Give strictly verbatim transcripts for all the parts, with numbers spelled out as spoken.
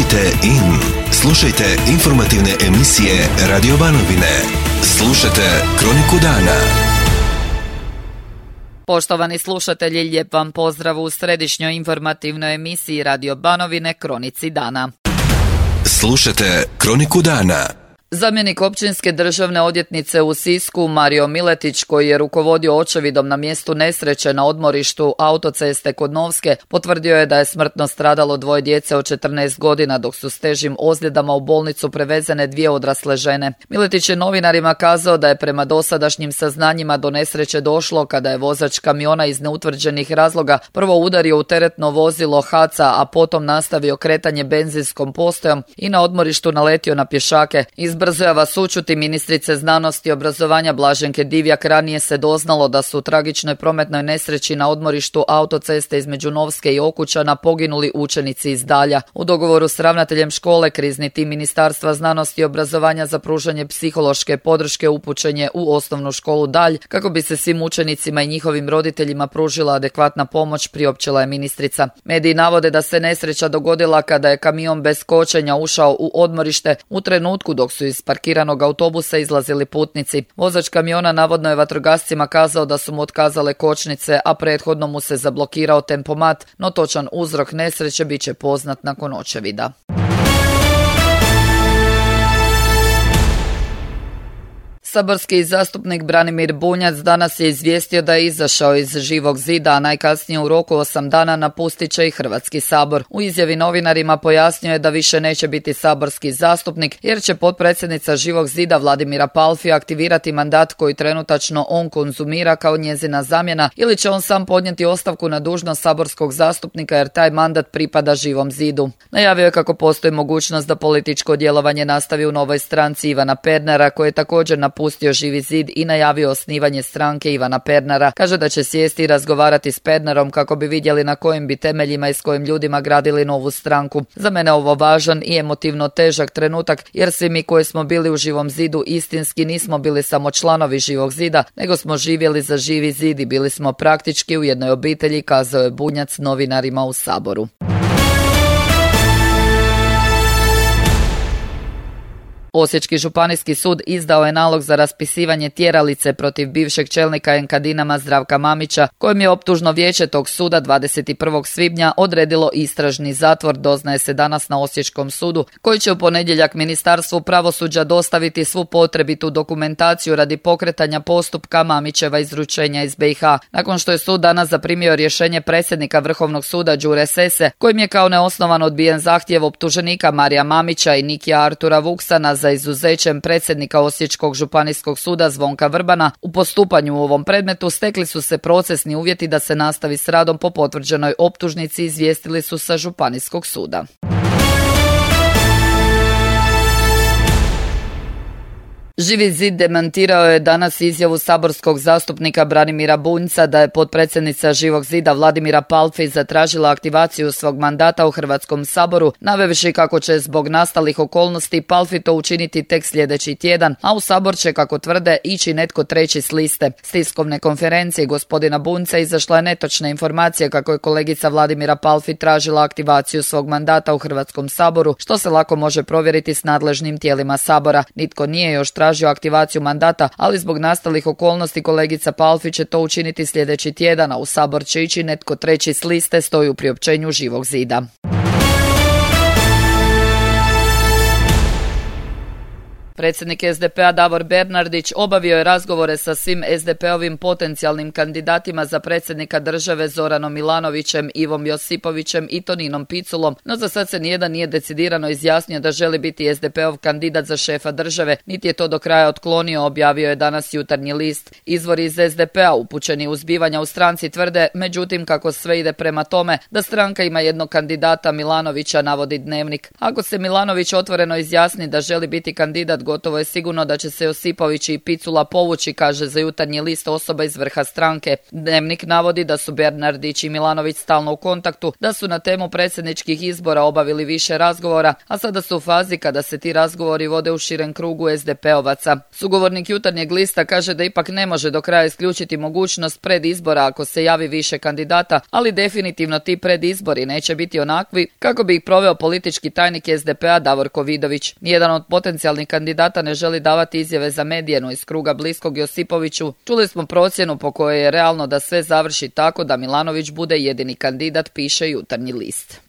Kliknite in. Slušajte informativne emisije Radio Banovine. Slušajte Kroniku dana. Poštovani slušatelji, lijep vam pozdrav u središnjoj informativnoj emisiji Radio Banovine Kronici dana. Slušajte Kroniku dana. Zamjenik općinske državne odvjetnice u Sisku Mario Miletić, koji je rukovodio očevidom na mjestu nesreće na odmorištu autoceste kod Novske, potvrdio je da je smrtno stradalo dvoje djece od četrnaest godina, dok su s težim ozljedama u bolnicu prevezene dvije odrasle žene. Miletić je novinarima kazao da je prema dosadašnjim saznanjima do nesreće došlo kada je vozač kamiona iz neutvrđenih razloga prvo udario u teretno vozilo H A C A, a potom nastavio kretanje benzinskom postajom i na odmorištu naletio na pješake. Iz Brzojava Sućuti ministrice znanosti i obrazovanja Blaženke Divjak ranije se doznalo da su u tragičnoj prometnoj nesreći na odmorištu autoceste između Novske i Okučana poginuli učenici iz Dalja. U dogovoru s ravnateljem škole krizni tim Ministarstva znanosti i obrazovanja za pružanje psihološke podrške upućen je u osnovnu školu Dalj kako bi se svim učenicima i njihovim roditeljima pružila adekvatna pomoć, priopćila je ministrica. Mediji navode da se nesreća dogodila kada je kamion bez kočenja ušao u odmorište u trenutku dok su iz parkiranog autobusa izlazili putnici. Vozač kamiona navodno je vatrogascima kazao da su mu otkazale kočnice, a prethodno mu se zablokirao tempomat, no točan uzrok nesreće bit će poznat nakon očevida. Saborski zastupnik Branimir Bunjac danas je izvijestio da je izašao iz Živog zida, a najkasnije u roku osam dana napustit će i Hrvatski sabor. U izjavi novinarima pojasnio je da više neće biti saborski zastupnik jer će potpredsjednica Živog zida Vladimira Palfi aktivirati mandat koji trenutačno on konzumira kao njezina zamjena, ili će on sam podnijeti ostavku na dužnost saborskog zastupnika jer taj mandat pripada Živom zidu. Najavio je kako postoji mogućnost da političko djelovanje nastavi u novoj stranci Ivana Pernara, koji je također napustio Pustio Živi zid i najavio osnivanje stranke Ivana Pernara. Kaže da će sjesti i razgovarati s Pernarom kako bi vidjeli na kojim bi temeljima i s kojim ljudima gradili novu stranku. Za mene ovo važan i emotivno težak trenutak jer svi mi koji smo bili u Živom zidu istinski nismo bili samo članovi Živog zida, nego smo živjeli za Živi zid i bili smo praktički u jednoj obitelji, kazao je Bunjac novinarima u Saboru. Osječki županijski sud izdao je nalog za raspisivanje tjeralice protiv bivšeg čelnika Enkadinama Zdravka Mamića, kojem je optužno vijeće tog suda dvadeset prvog svibnja odredilo istražni zatvor, doznaje se danas na Osječkom sudu, koji će u ponedjeljak Ministarstvu pravosuđa dostaviti svu potrebitu dokumentaciju radi pokretanja postupka Mamićeva izručenja iz be i ha. Nakon što je sud danas zaprimio rješenje predsjednika Vrhovnog suda Đure Sese, kojim je kao neosnovan odbijen zahtjev optuženika Marija Mamića i Nikija Artura Vuksana za izuzećem predsjednika Osječkog županijskog suda Zvonka Vrbana, u postupanju u ovom predmetu stekli su se procesni uvjeti da se nastavi s radom po potvrđenoj optužnici, izvijestili su sa županijskog suda. Živi zid demantirao je danas izjavu saborskog zastupnika Branimira Bunjca da je potpredsjednica Živog zida Vladimira Palfi zatražila aktivaciju svog mandata u Hrvatskom saboru, navevši kako će zbog nastalih okolnosti Palfi to učiniti tek sljedeći tjedan, a u sabor će, kako tvrde, ići netko treći s liste. S tiskovne konferencije gospodina Bunjca izašla je netočna informacija kako je kolegica Vladimira Palfi tražila aktivaciju svog mandata u Hrvatskom saboru, što se lako može provjeriti s nadležnim tijelima sabora. Nitko nije još tražio tražio aktivaciju mandata, ali zbog nastalih okolnosti kolegica Palfi će to učiniti sljedeći tjedan, a u sabor će ići netko treći s liste, stoji u priopćenju Živog zida. Predsjednik es de pe a Davor Bernardić obavio je razgovore sa svim es de pe ovim potencijalnim kandidatima za predsjednika države Zoranom Milanovićem, Ivom Josipovićem i Toninom Piculom, no za sad se nijedan nije decidirano izjasnio da želi biti es de pe ov kandidat za šefa države, niti je to do kraja otklonio, objavio je danas Jutarnji list. Izvori iz es de pe a upućeni u zbivanja u stranci tvrde, međutim, kako sve ide prema tome da stranka ima jednog kandidata Milanovića, navodi Dnevnik. Ako se Milanović otvoreno izjasni da želi biti kandidat gotovo je sigurno da će se Josipović i Picula povući, kaže za Jutarnji list osoba iz vrha stranke. Dnevnik navodi da su Bernardić i Milanović stalno u kontaktu, da su na temu predsjedničkih izbora obavili više razgovora, a sada su u fazi kada se ti razgovori vode u širem krugu es de pe ovaca. Sugovornik Jutarnjeg lista kaže da ipak ne može do kraja isključiti mogućnost predizbora ako se javi više kandidata, ali definitivno ti predizbori neće biti onakvi kako bi ih proveo politički tajnik es de pe-a Davorko Vidović. Nijedan od potencijalnih kandidata ne želi davati izjave za medije, no iz kruga bliskog Josipoviću čuli smo procjenu po kojoj je realno da sve završi tako da Milanović bude jedini kandidat, piše Jutarnji list.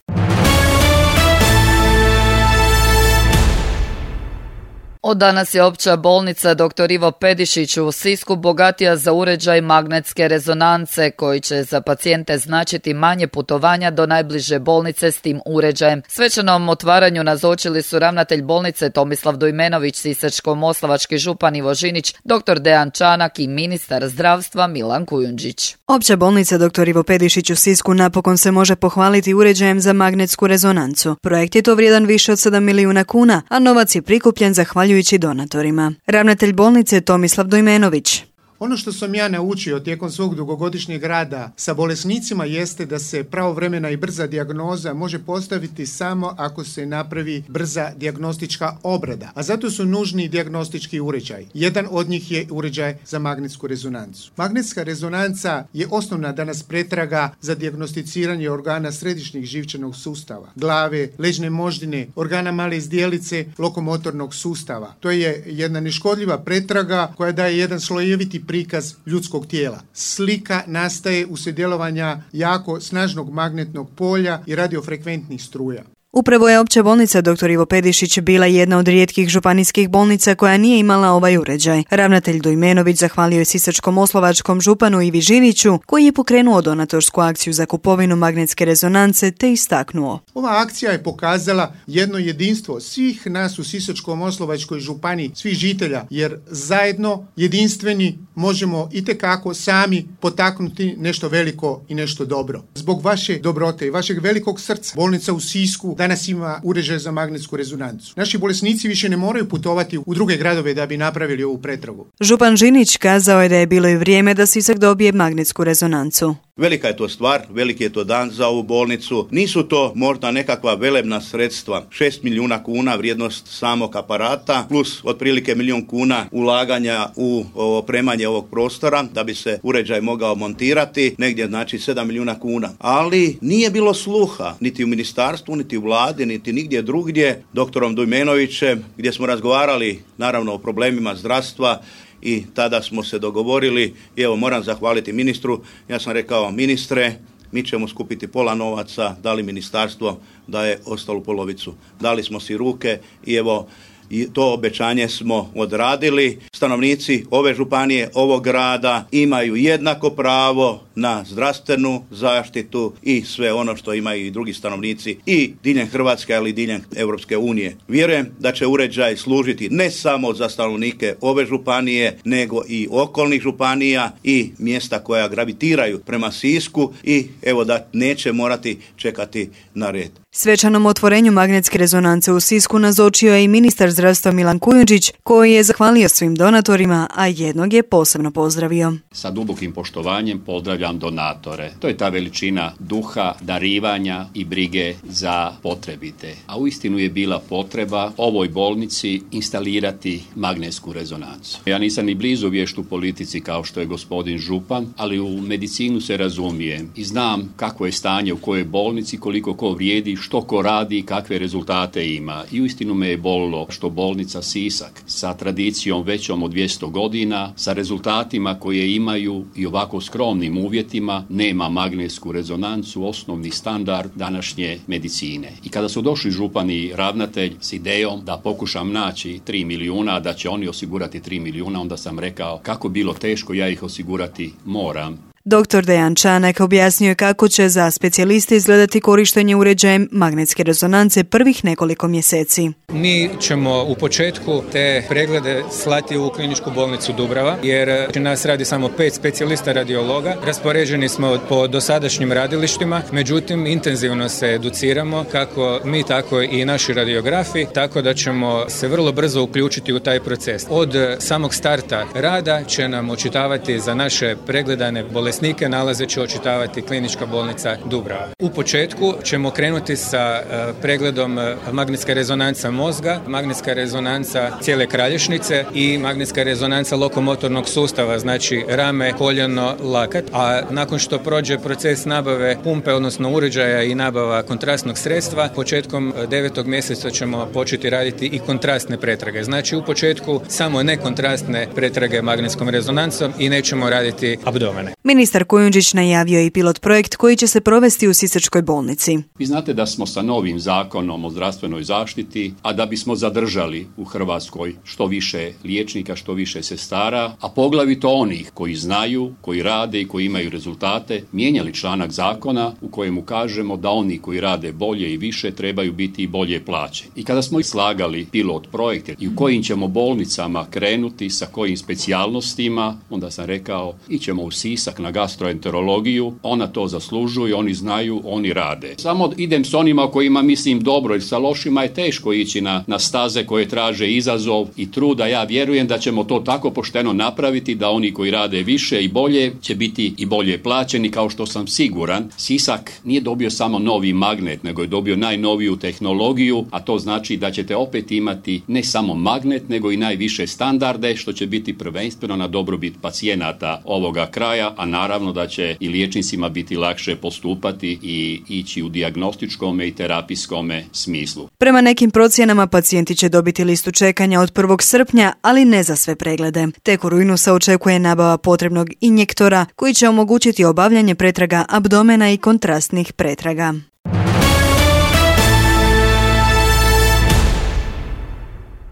Od danas je opća bolnica doktor Ivo Pedišić u Sisku bogatija za uređaj magnetske rezonance koji će za pacijente značiti manje putovanja do najbliže bolnice s tim uređajem. Svečanom otvaranju nazočili su ravnatelj bolnice Tomislav Dujmenović, sisačko-moslavački župan Ivo Žinić, doktor Dejan Čanak i ministar zdravstva Milan Kujundžić. Opća bolnica doktor Ivo Pedišić u Sisku napokon se može pohvaliti uređajem za magnetsku rezonancu. Projekt je to vrijedan više od sedam milijuna kuna, a novac je prikupljen zahvaljujući donatorima. Ravnatelj bolnice Tomislav Dujmenović. Ono što sam ja naučio tijekom svog dugogodišnjeg rada sa bolesnicima jeste da se pravovremena i brza dijagnoza može postaviti samo ako se napravi brza dijagnostička obrada, a zato su nužni dijagnostički uređaj. Jedan od njih je uređaj za magnetsku rezonancu. Magnetska rezonanca je osnovna danas pretraga za dijagnosticiranje organa središnjeg živčanog sustava, glave, leđne moždine, organa male zdjelice, lokomotornog sustava. To je jedna neškodljiva pretraga koja daje jedan slojeviti prikaz ljudskog tijela. Slika nastaje uslijed djelovanja jako snažnog magnetnog polja i radiofrekventnih struja. Upravo je opća bolnica doktor Ivo Pedišić bila jedna od rijetkih županijskih bolnica koja nije imala ovaj uređaj. Ravnatelj Dujmenović zahvalio je sisačko-moslavačkom županu Ivi Žiniću koji je pokrenuo donatorsku akciju za kupovinu magnetske rezonance te istaknuo. Ova akcija je pokazala jedno jedinstvo svih nas u Sisačko-moslavačkoj županiji, svih žitelja, jer zajedno jedinstveni možemo itekako sami potaknuti nešto veliko i nešto dobro. Zbog vaše dobrote i vašeg velikog srca bolnica u Sisku danas ima uređaj za magnetsku rezonancu. Naši bolesnici više ne moraju putovati u druge gradove da bi napravili ovu pretragu. Župan Žinić kazao je da je bilo i vrijeme da Sisak dobije magnetsku rezonancu. Velika je to stvar, veliki je to dan za ovu bolnicu. Nisu to možda nekakva velebna sredstva. šest milijuna kuna vrijednost samog aparata plus otprilike milijun kuna ulaganja u opremanje ovog prostora da bi se uređaj mogao montirati, negdje znači sedam milijuna kuna. Ali nije bilo sluha niti u ministarstvu, niti u vladi, niti nigdje drugdje doktorom Dujmenovićem gdje smo razgovarali naravno o problemima zdravstva. I tada smo se dogovorili i evo moram zahvaliti ministru. Ja sam rekao, ministre, mi ćemo skupiti pola novaca, dali ministarstvo da je ostalo polovicu. Dali smo si ruke i evo i to obećanje smo odradili. Stanovnici ove županije, ovog grada imaju jednako pravo na zdravstvenu zaštitu i sve ono što imaju i drugi stanovnici i diljem Hrvatske, ali i diljem Europske unije. Vjerujem da će uređaj služiti ne samo za stanovnike ove županije, nego i okolnih županija i mjesta koja gravitiraju prema Sisku i evo da neće morati čekati na red. Svečanom otvorenju magnetske rezonance u Sisku nazočio je i ministar zdravstva Milan Kujundžić, koji je zahvalio svim donatorima, a jednog je posebno pozdravio. Sa dubokim poštovanjem pozdravljam donatore. To je ta veličina duha, darivanja i brige za potrebite. A uistinu je bila potreba ovoj bolnici instalirati magnetsku rezonancu. Ja nisam ni blizu vješt u politici kao što je gospodin župan, ali u medicinu se razumijem i znam kakvo je stanje u kojoj bolnici, koliko ko vrijedi, što ko radi i kakve rezultate ima. I uistinu me je bolilo što bolnica Sisak sa tradicijom većom od dvjesto godina, sa rezultatima koje imaju i ovako skromnim uvjetima, nema magnetsku rezonancu, osnovni standard današnje medicine. I kada su došli župan i ravnatelj s idejom da pokušam naći tri milijuna, da će oni osigurati tri milijuna, onda sam rekao kako bilo teško, ja ih osigurati moram. doktor Dejan Čanak objasnio je kako će za specijaliste izgledati korištenje uređajem magnetske rezonance prvih nekoliko mjeseci. Mi ćemo u početku te preglede slati u kliničku bolnicu Dubrava, jer nas radi samo pet specijalista radiologa. Raspoređeni smo po dosadašnjim radilištima, međutim intenzivno se educiramo, kako mi, tako i naši radiografi, tako da ćemo se vrlo brzo uključiti u taj proces. Od samog starta rada će nam očitavati za naše pregledane bolesnike, nalaze će očitavati klinička bolnica Dubrava. U početku ćemo krenuti sa pregledom magnetska rezonanca mozga, magnetska rezonanca cijele kralješnice i magnetska rezonanca lokomotornog sustava, znači rame, koljeno, lakat. A nakon što prođe proces nabave pumpe, odnosno uređaja i nabava kontrastnog sredstva, početkom devetog mjeseca ćemo početi raditi i kontrastne pretrage. Znači u početku samo nekontrastne pretrage magnetskom rezonancom i nećemo raditi abdomene. Ministar Kujundžić najavio i pilot projekt koji će se provesti u Sisačkoj bolnici. Vi znate da smo sa novim zakonom o zdravstvenoj zaštiti, a da bismo zadržali u Hrvatskoj što više liječnika, što više sestara, a poglavito onih koji znaju, koji rade i koji imaju rezultate, mijenjali članak zakona u kojemu kažemo da oni koji rade bolje i više trebaju biti i bolje plaćeni. I kada smo slagali pilot projekte i u kojim ćemo bolnicama krenuti, sa kojim specijalnostima, onda sam rekao ićemo u Sisak na gastroenterologiju, ona to zaslužuje, oni znaju, oni rade. Samo idem s onima kojima mislim dobro, jer sa lošima je teško ići na, na staze koje traže izazov i truda. Ja vjerujem da ćemo to tako pošteno napraviti da oni koji rade više i bolje će biti i bolje plaćeni, kao što sam siguran. Sisak nije dobio samo novi magnet, nego je dobio najnoviju tehnologiju, a to znači da ćete opet imati ne samo magnet, nego i najviše standarde, što će biti prvenstveno na dobrobit pacijenata ovoga kraja, a naravno da će i liječnicima biti lakše postupati i ići u dijagnostičkom i terapijskom smislu. Prema nekim procjenama pacijenti će dobiti listu čekanja od prvog srpnja, ali ne za sve preglede. Tek u rujnu se očekuje nabava potrebnog injektora koji će omogućiti obavljanje pretraga abdomena i kontrastnih pretraga.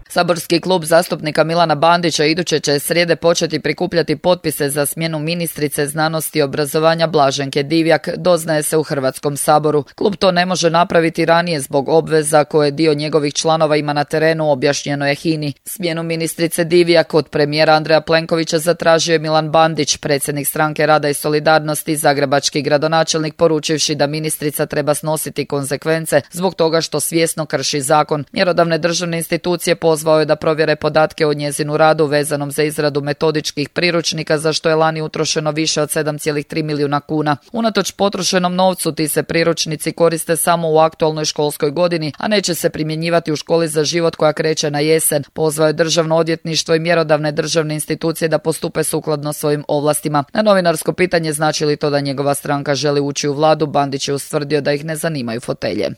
Saborski klub zastupnika Milana Bandića iduće će srijede početi prikupljati potpise za smjenu ministrice znanosti i obrazovanja Blaženke Divjak, doznaje se u Hrvatskom saboru. Klub to ne može napraviti ranije zbog obveza koje dio njegovih članova ima na terenu, objašnjeno je H I N I. Smjenu ministrice Divjak od premijera Andreja Plenkovića zatražio je Milan Bandić, predsjednik Stranke rada i solidarnosti, zagrebački gradonačelnik, poručivši da ministrica treba snositi konsekvence zbog toga što svjesno krši zakon. Mjerodavne državne institucije pozvao je da provjere podatke o njezinu radu vezanom za izradu metodičkih priručnika, za što je lani utrošeno više od sedam zarez tri milijuna kuna. Unatoč potrošenom novcu, ti se priručnici koriste samo u aktualnoj školskoj godini, a neće se primjenjivati u školi za život koja kreće na jesen. Pozvao je Državno odvjetništvo i mjerodavne državne institucije da postupe sukladno svojim ovlastima. Na novinarsko pitanje znači li to da njegova stranka želi ući u vladu, Bandić je ustvrdio da ih ne zanimaju fotelje.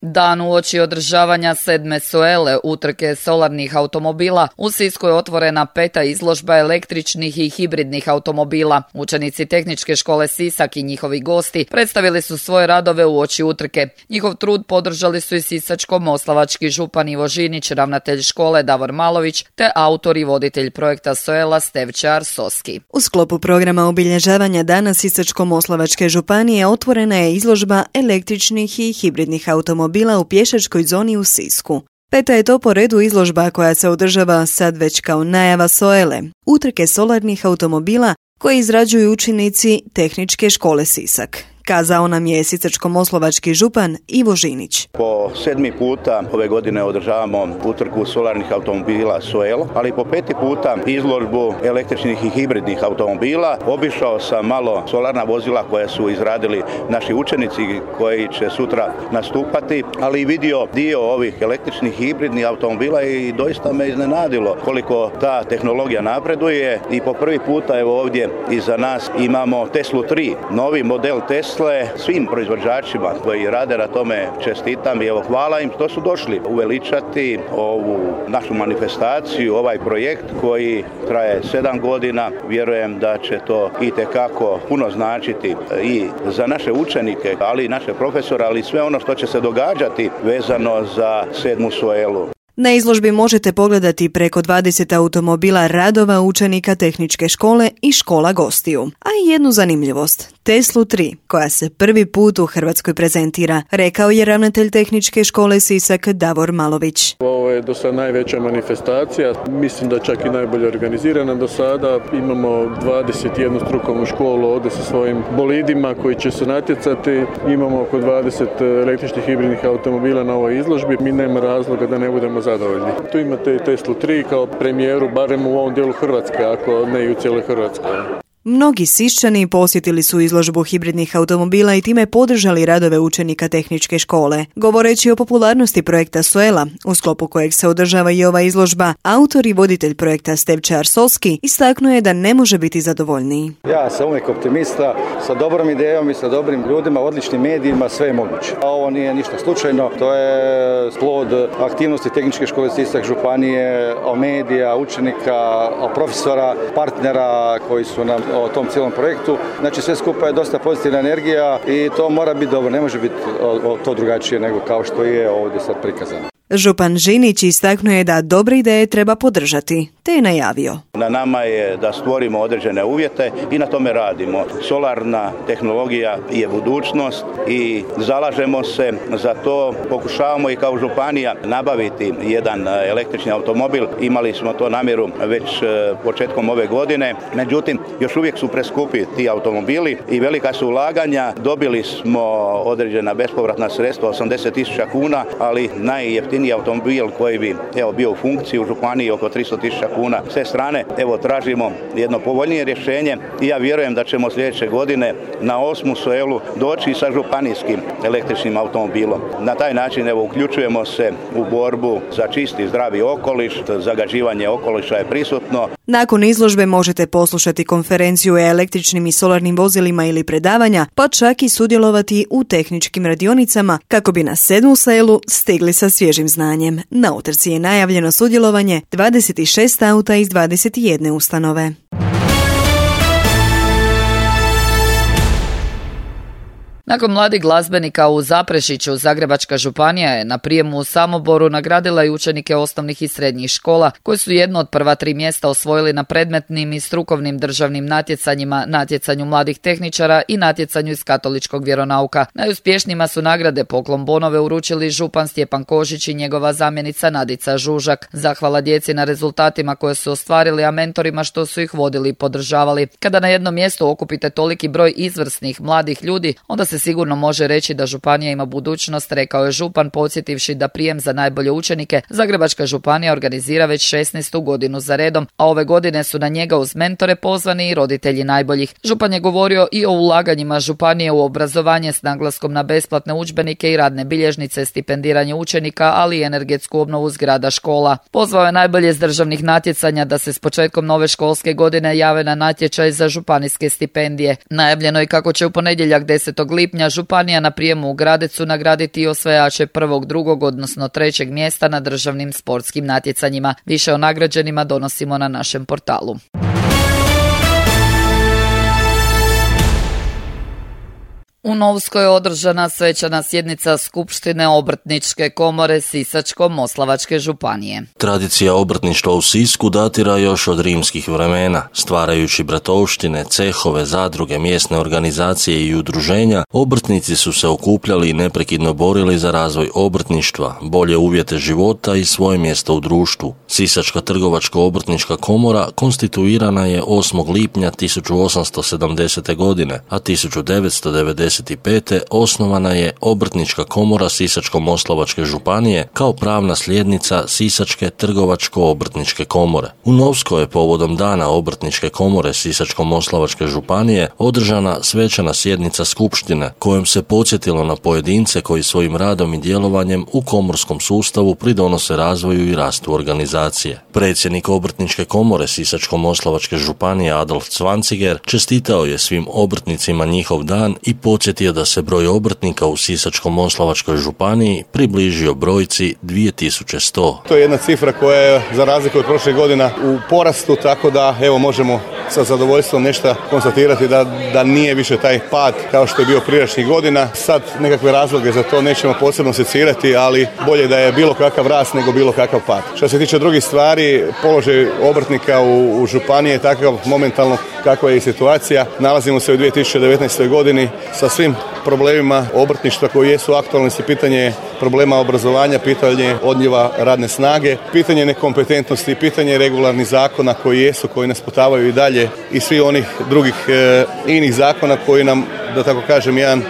Dan uoči održavanja sedme Soele, utrke solarnih automobila, u Sisku je otvorena peta izložba električnih i hibridnih automobila. Učenici Tehničke škole Sisak i njihovi gosti predstavili su svoje radove uoči utrke. Njihov trud podržali su i sisačko-moslavački župan Ivo Žinić, ravnatelj škole Davor Malović, te autor i voditelj projekta Soela Stevčar Soski. U sklopu programa obilježavanja Dana Sisačko-moslavačke županije otvorena je izložba električnih i hibridnih automobila bila u pješačkoj zoni u Sisku. Peta je to po redu izložba koja se održava sad već kao najava Soele, utrke solarnih automobila koje izrađuju učenici Tehničke škole Sisak. Kazao nam je sisačko-moslavački župan Ivo Žinić. Po sedmi puta ove godine održavamo utrku solarnih automobila Soel, ali po peti puta izložbu električnih i hibridnih automobila. Obišao sam malo solarna vozila koje su izradili naši učenici koji će sutra nastupati, ali i vidio dio ovih električnih i hibridnih automobila i doista me iznenadilo koliko ta tehnologija napreduje. I po prvi puta evo ovdje iza nas imamo Teslu tri, novi model Tesla. Svim proizvođačima koji rade na tome čestitam i evo hvala im što su došli uveličati ovu našu manifestaciju, ovaj projekt koji traje sedam godina. Vjerujem da će to itekako puno značiti i za naše učenike, ali i naše profesore, ali i sve ono što će se događati vezano za sedmu Soelu. Na izložbi možete pogledati preko dvadeset automobila radova učenika tehničke škole i škola gostiju. A i jednu zanimljivost, Teslu tri, koja se prvi put u Hrvatskoj prezentira, rekao je ravnatelj tehničke škole Sisak Davor Malović. Ovo je do sada najveća manifestacija, mislim da čak i najbolje organizirana do sada. Imamo dvadeset jednu strukovnu školu ovdje sa svojim bolidima koji će se natjecati. Imamo oko dvadeset električnih hibridnih automobila na ovoj izložbi. Mi nema razloga da ne budemo zadovoljni. Tu imate i Teslu tri kao premijeru, barem u ovom dijelu Hrvatske, ako ne i u cijeloj Hrvatskoj. Mnogi Siščani posjetili su izložbu hibridnih automobila i time podržali radove učenika tehničke škole. Govoreći o popularnosti projekta Soela, u sklopu kojeg se održava i ova izložba, autor i voditelj projekta Stevče Arsolski istaknuo je da ne može biti zadovoljniji. Ja sam uvijek optimista, sa dobrom idejom i sa dobrim ljudima, odličnim medijima, sve je moguće. A ovo nije ništa slučajno, to je plod aktivnosti tehničke škole Sisak, županije, medija, učenika, profesora, partnera koji su nam o tom cijelom projektu. Znači sve skupa je dosta pozitivna energija i to mora biti dobro, ne može biti to drugačije nego kao što je ovdje sad prikazano. Župan Žinić istaknuo je da dobre ideje treba podržati, te je najavio. Na nama je da stvorimo određene uvjete i na tome radimo. Solarna tehnologija je budućnost i zalažemo se za to. Pokušavamo i kao županija nabaviti jedan električni automobil. Imali smo to namjeru već početkom ove godine. Međutim, još uvijek su preskupi ti automobili i velika su ulaganja. Dobili smo određena bespovratna sredstva, osamdeset tisuća kuna, ali najjeftiniji automobil koji bi evo, bio u funkciji u županiji oko tristo tisuća kuna. S te strane evo, tražimo jedno povoljnije rješenje i ja vjerujem da ćemo sljedeće godine na osmu Soelu doći sa županijskim električnim automobilom. Na taj način evo, uključujemo se u borbu za čisti zdravi okoliš, zagađivanje okoliša je prisutno. Nakon izložbe možete poslušati konferenciju o električnim i solarnim vozilima ili predavanja, pa čak i sudjelovati u tehničkim radionicama kako bi na sedmu Soelu stigli sa svježim znanjem. Na utrci je najavljeno sudjelovanje dvadeset šest auta iz dvadeset jedne ustanove. Nakon mladih glazbenika u Zaprešiću, Zagrebačka županija je na prijemu u Samoboru nagradila i učenike osnovnih i srednjih škola, koji su jedno od prva tri mjesta osvojili na predmetnim i strukovnim državnim natjecanjima, natjecanju mladih tehničara i natjecanju iz katoličkog vjeronauka. Najuspješnijima su nagrade poklon bonove uručili župan Stjepan Kožić i njegova zamjenica Nadica Žužak. Zahvala djeci na rezultatima koje su ostvarili, a mentorima što su ih vodili i podržavali. Kada na jednom mjestu okupite toliki broj izvrsnih mladih ljudi, onda se sigurno može reći da županija ima budućnost, rekao je župan, podsjetivši da prijem za najbolje učenike Zagrebačka županija organizira već šesnaestu godinu za redom, a ove godine su na njega uz mentore pozvani i roditelji najboljih. Župan je govorio i o ulaganjima županije u obrazovanje s naglaskom na besplatne udžbenike i radne bilježnice, stipendiranje učenika, ali i energetsku obnovu zgrada škola. Pozvao je najbolje s državnih natjecanja da se s početkom nove školske godine jave na natječaj za županijske stipendije. Najavljeno je kako će u ponedjeljak desetog lipnja županija na prijemu u Gradecu nagraditi i osvajače prvog, drugog, odnosno trećeg mjesta na državnim sportskim natjecanjima. Više o nagrađenima donosimo na našem portalu. U Novskoj je održana svečana sjednica Skupštine Obrtničke komore Sisačko-moslavačke županije. Tradicija obrtništva u Sisku datira još od rimskih vremena. Stvarajući bratovštine, cehove, zadruge, mjesne organizacije i udruženja, obrtnici su se okupljali i neprekidno borili za razvoj obrtništva, bolje uvjete života i svoje mjesto u društvu. Sisačka trgovačko-obrtnička komora konstituirana je osmog lipnja tisuću osamsto sedamdesete. godine, a tisuću devetsto devedesete pete. osnovana je Obrtnička komora Sisačko-moslavačke županije kao pravna slijednica Sisačke trgovačko-obrtničke komore. U Novskoj je povodom dana Obrtničke komore Sisačko-moslavačke županije održana svečana sjednica skupštine kojom se podsjetilo na pojedince koji svojim radom i djelovanjem u komorskom sustavu pridonose razvoju i rastu organizacije. Predsjednik Obrtničke komore Sisačko-moslavačke županije Adolf Cvanciger čestitao je svim obrtnicima njihov dan i podsjetio podsjetio da se broj obrtnika u Sisačko-moslavačkoj županiji približio brojci dvije tisuće sto. To je jedna cifra koja je za razliku od prošle godina u porastu, tako da evo možemo sa zadovoljstvom nešto konstatirati da, da nije više taj pad kao što je bio prijašnjih godina. Sad nekakve razloge za to nećemo posebno secirati, ali bolje da je bilo kakav rast nego bilo kakav pad. Što se tiče drugih stvari, položaj obrtnika u, u županiji je takav momentalno kakva je i situacija. Nalazimo se u dvije tisuće devetnaestoj godini sa svim problemima obrtništva koji jesu aktualni, se pitanje problema obrazovanja, pitanje odljeva radne snage, pitanje nekompetentnosti, pitanje regularnih zakona koji jesu, koji nas potavaju i dalje i svi onih drugih e, inih zakona koji nam, da tako kažem, jedan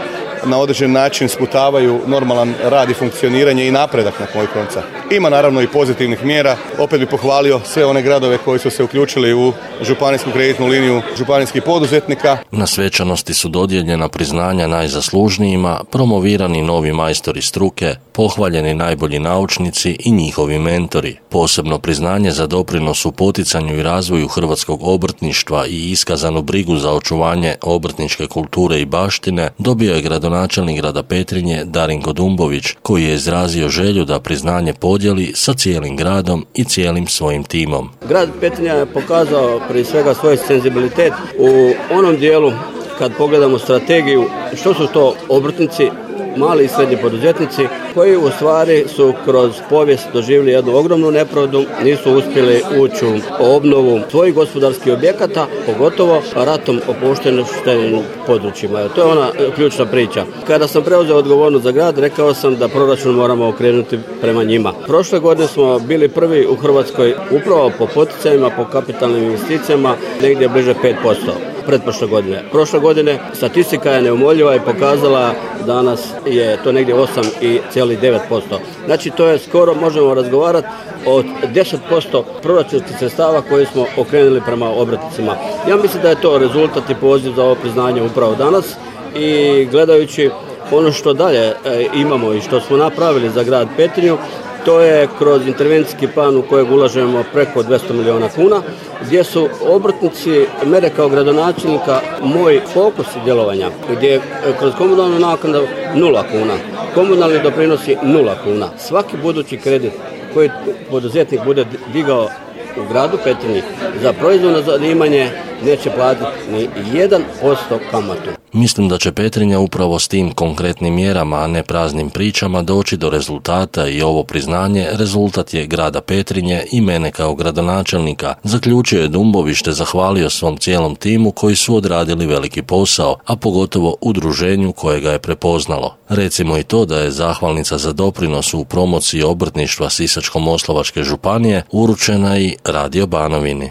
na određen način sputavaju normalan rad i funkcioniranje i napredak na kraju konca. Ima naravno i pozitivnih mjera. Opet bih pohvalio sve one gradove koji su se uključili u županijsku kreditnu liniju županijskih poduzetnika. Na svečanosti su dodijeljena priznanja najzaslužnijima, promovirani novi majstori struke, pohvaljeni najbolji naučnici i njihovi mentori. Posebno priznanje za doprinos u poticanju i razvoju hrvatskog obrtništva i iskazanu brigu za očuvanje obrtničke kulture i baštine dobio je gradonačelnik grada Petrinje Darinko Dumbović, koji je izrazio želju da priznanje podijeli sa cijelim gradom i cijelim svojim timom. Grad Petrinja je pokazao prije svega svoj senzibilitet u onom dijelu kad pogledamo strategiju što su to obrtnici, mali i srednji poduzetnici koji u stvari su kroz povijest doživjeli jednu ogromnu nepravdu, nisu uspjeli ući u obnovu svojih gospodarskih objekata, pogotovo ratom opuštenim područjima. To je ona ključna priča. Kada sam preuzeo odgovornost za grad, rekao sam da proračun moramo okrenuti prema njima. Prošle godine smo bili prvi u Hrvatskoj upravo po poticajima, po kapitalnim investicijama, negdje bliže pet posto. Pretprošle godine. Prošle godine statistika je neumoljiva i pokazala danas je to negdje osam zarez devet posto. Znači to je skoro, možemo razgovarati od deset posto proračunskih sredstava koje smo okrenuli prema obrtnicima. Ja mislim da je to rezultat i poziv za ovo priznanje upravo danas i gledajući ono što dalje e, imamo i što smo napravili za grad Petrinju, to je kroz intervencijski plan u kojeg ulažemo preko dvjesto milijuna kuna, gdje su obrtnici, mene kao gradonačelnika, moj fokus djelovanja, gdje je kroz komunalnu naknadu nula kuna, komunalni doprinosi nula kuna. Svaki budući kredit koji poduzetnik bude digao u gradu Petrinji za proizvodno zanimanje neće platiti ni jedan posto kamatu. Mislim da će Petrinja upravo s tim konkretnim mjerama, a ne praznim pričama, doći do rezultata i ovo priznanje rezultat je grada Petrinje i mene kao gradonačelnika, zaključio je Dumbović te zahvalio svom cijelom timu koji su odradili veliki posao, a pogotovo udruženju koje ga je prepoznalo. Recimo i to da je zahvalnica za doprinos u promociji obrtništva Sisačko-moslavačke županije uručena i Radio Banovini.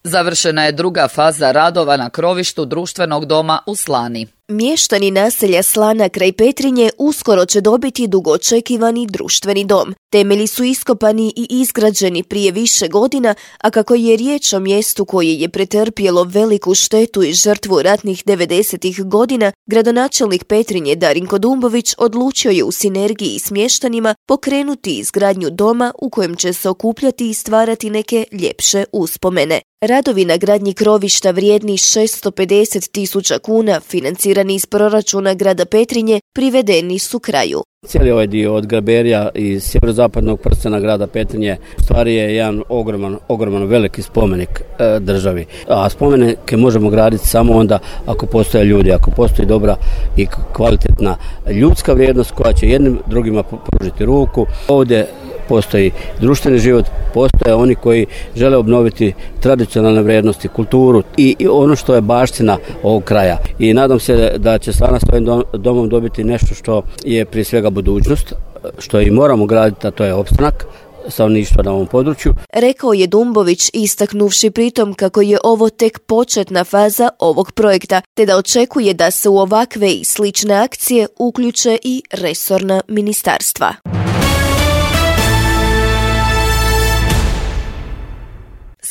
Završena je druga faza radova na krovištu društvenog doma u Slani. Mještani naselja Slana kraj Petrinje uskoro će dobiti dugočekivani društveni dom. Temelji su iskopani i izgrađeni prije više godina, a kako je riječ o mjestu koje je pretrpjelo veliku štetu i žrtvu ratnih devedesetih godina, gradonačelnik Petrinje Darinko Dumbović odlučio je u sinergiji s mještanima pokrenuti izgradnju doma u kojem će se okupljati i stvarati neke ljepše uspomene. Radovi na gradnji krovišta vrijedni šesto pedeset tisuća kuna, financirani iz proračuna grada Petrinje, privedeni su kraju. Cijeli ovaj dio od Graberija i sjeverozapadnog prstena grada Petrinje u stvari je jedan ogroman, ogroman veliki spomenik e, državi. A spomenike možemo graditi samo onda ako postoje ljudi, ako postoji dobra i kvalitetna ljudska vrijednost koja će jednim drugima pružiti ruku. Ovdje postoji društveni život, postoje oni koji žele obnoviti tradicionalne vrijednosti, kulturu i, i ono što je baština ovog kraja. I nadam se da će Slana s ovim domom dobiti nešto što je prije svega budućnost, što i moramo graditi, a to je opstanak stanovništva na ovom području. Rekao je Dumbović, istaknuvši pritom kako je ovo tek početna faza ovog projekta, te da očekuje da se u ovakve i slične akcije uključe i resorna ministarstva.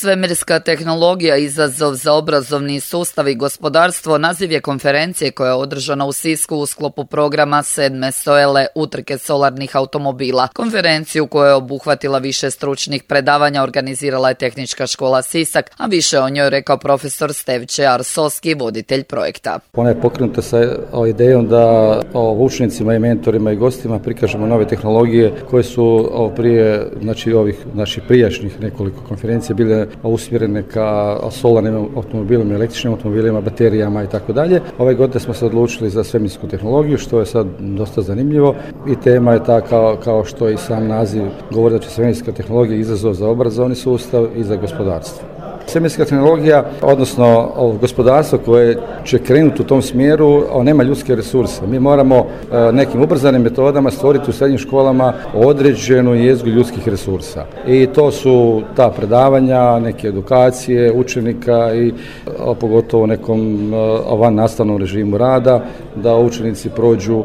Svemirska tehnologija, izazov za obrazovni sustav i gospodarstvo, naziv je konferencije koja je održana u Sisku u sklopu programa sedme SOELE utrke solarnih automobila. Konferenciju koja je obuhvatila više stručnih predavanja organizirala je Tehnička škola Sisak, a više o njoj rekao profesor Stevče Arsoski, voditelj projekta. Ona je pokrenuta sa idejom da učenicima i mentorima i gostima prikažemo nove tehnologije koje su prije, znači ovih naših prijašnjih nekoliko konferencija bile usmjerene ka solarnim automobilima, električnim automobilima, baterijama i tako dalje. Ove godine smo se odlučili za svemirsku tehnologiju, što je sad dosta zanimljivo i tema je ta kao, kao što i sam naziv govori, da će svemirska tehnologija izazov za obrazovni sustav i za gospodarstvo. Svemirska tehnologija, odnosno gospodarstvo koje će krenuti u tom smjeru, nema ljudske resurse. Mi moramo nekim ubrzanim metodama stvoriti u srednjim školama određenu jezgru ljudskih resursa. I to su ta predavanja, neke edukacije učenika i pogotovo nekom van nastavnom režimu rada, da učenici prođu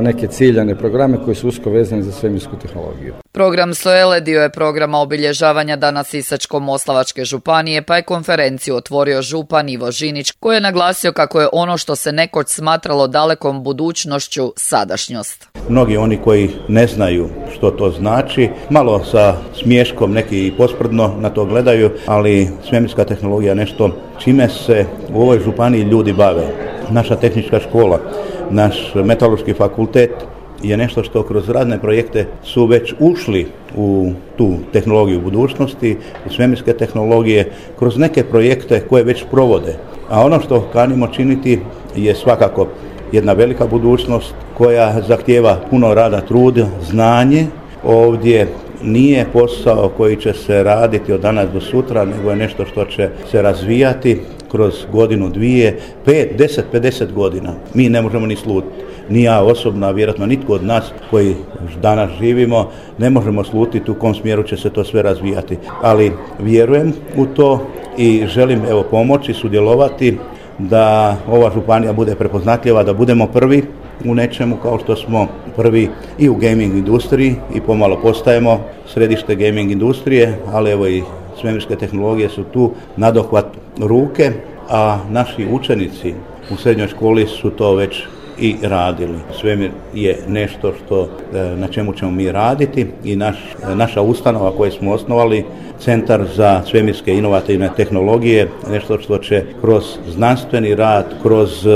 neke ciljane programe koji su usko vezani za svemirsku tehnologiju. Program SOELE dio je programa obilježavanja Dana Sisačko-moslavačke županije, pa je konferenciju otvorio župan Ivo Žinić, koji je naglasio kako je ono što se nekoć smatralo dalekom budućnošću sadašnjost. Mnogi oni koji ne znaju što to znači, malo sa smiješkom neki i posprdno na to gledaju, ali svemirska tehnologija je nešto čime se u ovoj županiji ljudi bave. Naša tehnička škola, naš metalurški fakultet je nešto što kroz radne projekte su već ušli u tu tehnologiju budućnosti, u svemirske tehnologije, kroz neke projekte koje već provode. A ono što kanimo činiti je svakako jedna velika budućnost koja zahtijeva puno rada, truda, znanje. Ovdje nije posao koji će se raditi od danas do sutra, nego je nešto što će se razvijati kroz godinu, dvije, pet, deset, pedeset godina. Mi ne možemo ni slutiti. Ni ja osobno, vjerojatno nitko od nas koji danas živimo, ne možemo slutiti u kom smjeru će se to sve razvijati. Ali vjerujem u to i želim evo pomoći, sudjelovati da ova županija bude prepoznatljiva, da budemo prvi u nečemu kao što smo prvi i u gaming industriji i pomalo postajemo središte gaming industrije, ali evo i svemirske tehnologije su tu nadohvat ruke, a naši učenici u srednjoj školi su to već i radili. Svemir je nešto što, na čemu ćemo mi raditi i naš, naša ustanova koju smo osnovali, Centar za svemirske inovativne tehnologije, nešto što će kroz znanstveni rad, kroz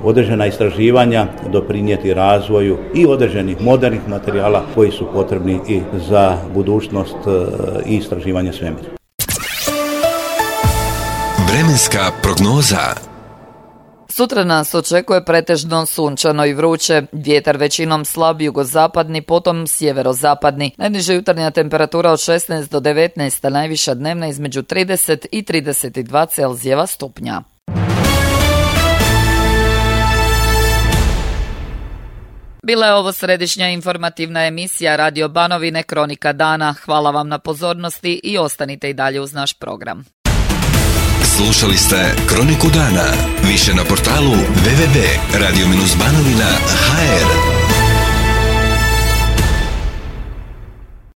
određena istraživanja doprinijeti razvoju i određenih modernih materijala koji su potrebni i za budućnost i istraživanje svemira. Vremenska prognoza. Sutra nas očekuje pretežno sunčano i vruće, vjetar većinom slab jugozapadni, potom sjeverozapadni. Najniža jutarnja temperatura od šesnaest do devetnaest, a najviša dnevna između trideset i trideset dva Celzijeva stupnja. Bila je ovo središnja informativna emisija Radio Banovine Kronika dana. Hvala vam na pozornosti i ostanite i dalje uz naš program. Slušali ste Kroniku dana. Više na portalu w w w tačka radio banovina tačka h r.